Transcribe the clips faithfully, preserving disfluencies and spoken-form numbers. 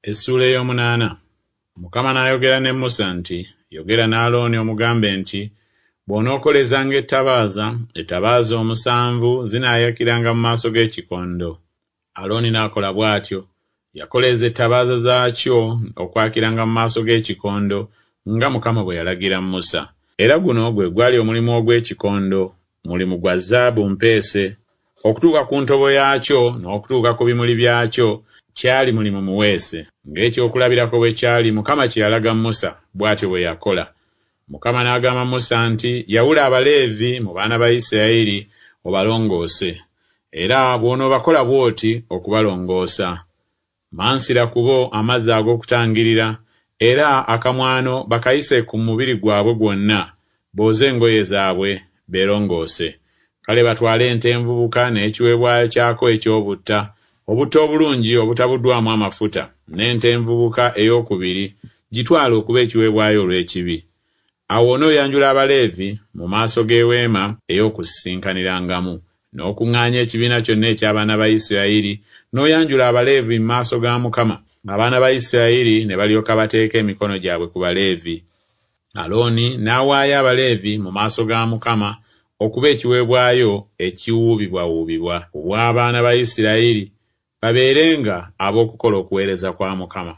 Essuula ey'omunaana. Mukama n'ayogera ne Musa nti, Yogera ne Alooni omugambe nti, Bw'onookolezanga ettabaaza, ettabaaza omusanvu zinaayakiranga mu maaso g'ekikondo. Alooni n'akola bw'atyo. Yakoleeza ettabaaza zaakyo okwakiranga mu maaso g'ekikondo, nga Mukama bwe yalagira Musa. Era guno gwe gwali omulimu ogw'ekikondo, mulimu gwa zaabu mpeese. Okutuuka ku ntobo yaakyo n'okutuuka ku bimuli byakyo kyali mulimu muweese. Ng'ekyokulabirako bwe kyali Mukama kye yalaga Musa, bw'atyo bwe yakola. Mukama n'agamba Musa nti, Yawula Abaleevi mu baana ba Isirayiri obalongoose. Era bw'onoobakola bw'oti okubalongoosa. Mansira ku bo amazzi ag'okutangirira, era akamwano bakayise ku mubiri gwabwe gwonna, booze engoye zaabwe, beerongoose. Kale batwale ente envubuka n'ekiweebwayo kyako eky'obutta, obutta obulungi obutabuddwamu amafuta, n'ente envubuka ey'okubiri, gitwale okuba ekiweebwayo olw'ekibi. Awo onooyanjula Abaleevi mu maaso g'eweema ey'okusisinkanirangamu, n'okuŋŋaanya ekibiina kyonna eky'abaana ba Isirayiri, n'oyanjula Abaleevi mu maaso ga Mukama. Abaana ba Isirayiri ne balyoka bateeka emikono gyabwe ku Baleevi. Alooni n'awaayo Abaleevi mu maaso ga Mukama okuba ekiweebwayo ekiwuubibwawuubibwa ku bw'abaana ba Isirayiri, babeerenga ab'okukola okuweereza kwa Mukama.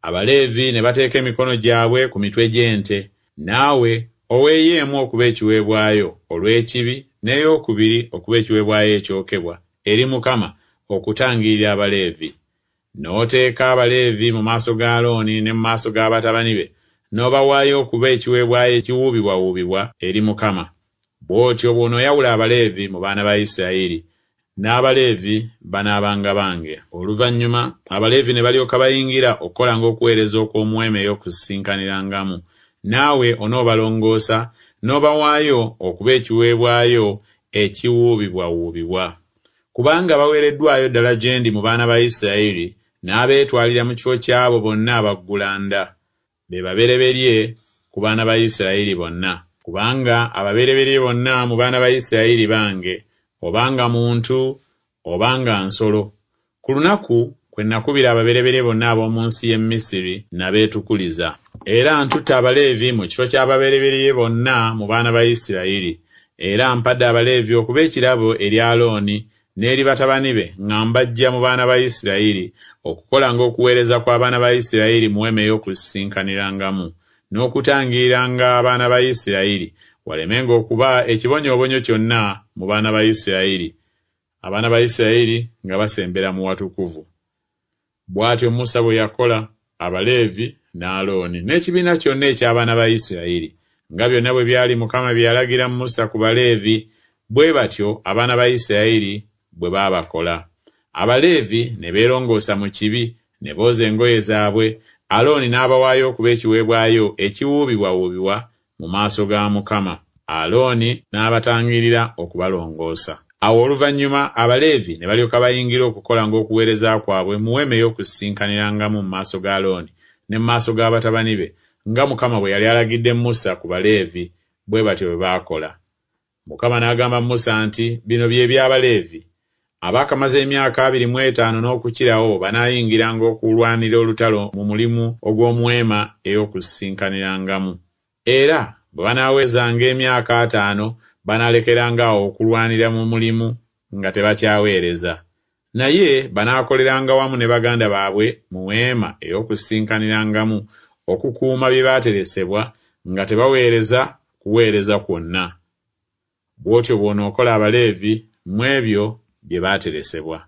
Abaleevi ne bateeka emikono gyabwe ku mitwe gy'ente, naawe oweeyo emu okuba ekiweebwayo olw'ekibi n'eyokubiri okuba ekiweebwayo ekyokebwa eri Mukama okutangirira Abaleevi. N'oteeka Abaleevi mu maaso ga Alooni ne mu maaso ga batabani be, n'obawaayo okuba ekiweebwayo ekiwuubibwawuubibwa eri Mukama. Bw'otyo bw'onooyawula Abaleevi mu baana ba Isirayiri, n'Abaleevi banaabanga bange. Oluvannyuma Abaleevi ne balyoka bayingira okukolanga okuweereza okw'omu weema ey'okusisinkanirangamu, naawe onoobalongoosa n'obawaayo okuba ekiweebwayo ekiwuubibwawuubibwa. Kubanga baweereddwayo ddala gye ndi mu baana ba Isirayiri, n'abeetwalira mu kifo ky'abo bonna abaggulanda. Be babereberye ku baana ba Isirayiri bonna. Kubanga ababereberye bonna mu baana ba Isirayiri bange, obanga muntu obanga nsolo. Ku lunaku kwe nakubira ababereberye bonna ab'omu nsi y'e Misiri nabeetukuliza. Era ntutte Abaleevi mu kifo ky'ababereberye bonna mu baana ba Isirayiri. Era mpadde Abaleevi okuba ekirabo eri Alooni n'eri batabani be nga mbaggya mu baana ba Isirayiri, okukolanga okuweereza kw'abaana ba Isirayiri mu weema ey'okusisinkanirangamu, n'okutangiriranga abaana ba Isirayiri, walemenga okuba ekibonyoobonyo kyonna mu baana ba Isirayiri, abaana ba Isirayiri nga basembera mu watukuvu. Bw'atyo Musa bwe yakola Abaleevi ne Alooni n'ekibiina kyonna eky'abaana ba Isirayiri, nga byonna bwe byali Mukama bye yalagira Musa ku Baleevi, bwe batyo abaana ba Isirayiri bwe baabakola. Abaleevi ne beerongoosa mu kibi, ne booza engoye zaabwe, Alooni n'abawaayo okuba ekiweebwayo ekiwuubibwawuubibwa mu maaso ga Mukama. Alooni n'abatangirira okubalongoosa. Awo oluvannyuma Abaleevi ne balyoka bayingira okukolanga okuweereza kwabwe mu weema ey'okusisinkanirangamu mu maaso ga Alooni ne mu maaso ga batabani be, nga Mukama bwe yali alagidde Musa ku Baleevi, bwe batyo bwe baakola. Mukama n'agamba Musa nti, Bino bye by'Abaleevi. Abaakamaze emyaka abiri mu etaano n'okukirawo banaayingiranga okulwanira olutalo mu mulimu ogw'omu weema ey'okusisinkanirangamu. Era bwe banaawezanga emyaka ataano banaalekeranga awo okulwanira mu mulimu nga tebakyaweereza. Naye banaakoleranga wamu ne baganda baabwe mu weema ey'okusisinkanirangamu okukuuma bye baateresebwa nga tebaweereza kuweereza kwonna. Bw'otyo bw'onookola Abaleevi mu ebyo bye baateresebwa.